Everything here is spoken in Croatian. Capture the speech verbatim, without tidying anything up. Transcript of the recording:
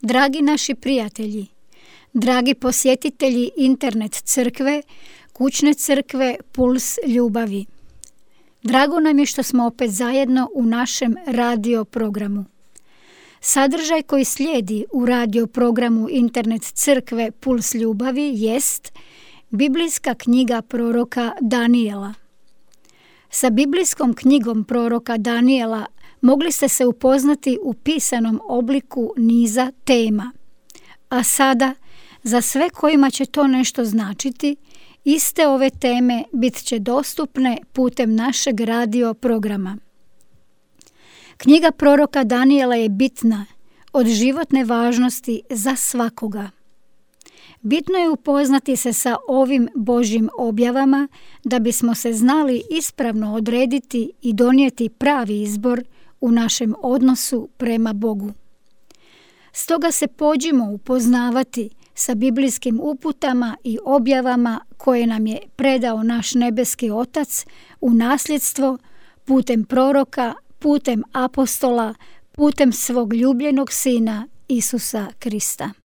Dragi naši prijatelji, dragi posjetitelji internet crkve, kućne crkve Puls ljubavi. Drago nam je što smo opet zajedno u našem radio programu. Sadržaj koji slijedi u radio programu internet crkve Puls ljubavi jest biblijska knjiga proroka Danijela. Sa biblijskom knjigom proroka Danijela mogli ste se upoznati u pisanom obliku niza tema. A sada, za sve kojima će to nešto značiti, iste ove teme bit će dostupne putem našeg radio programa. Knjiga proroka Danijela je bitna, od životne važnosti za svakoga. Bitno je upoznati se sa ovim Božjim objavama da bismo se znali ispravno odrediti i donijeti pravi izbor u našem odnosu prema Bogu. Stoga se pođimo upoznavati sa biblijskim uputama i objavama koje nam je predao naš nebeski Otac u nasljedstvo putem proroka, putem apostola, putem svog ljubljenog Sina Isusa Krista.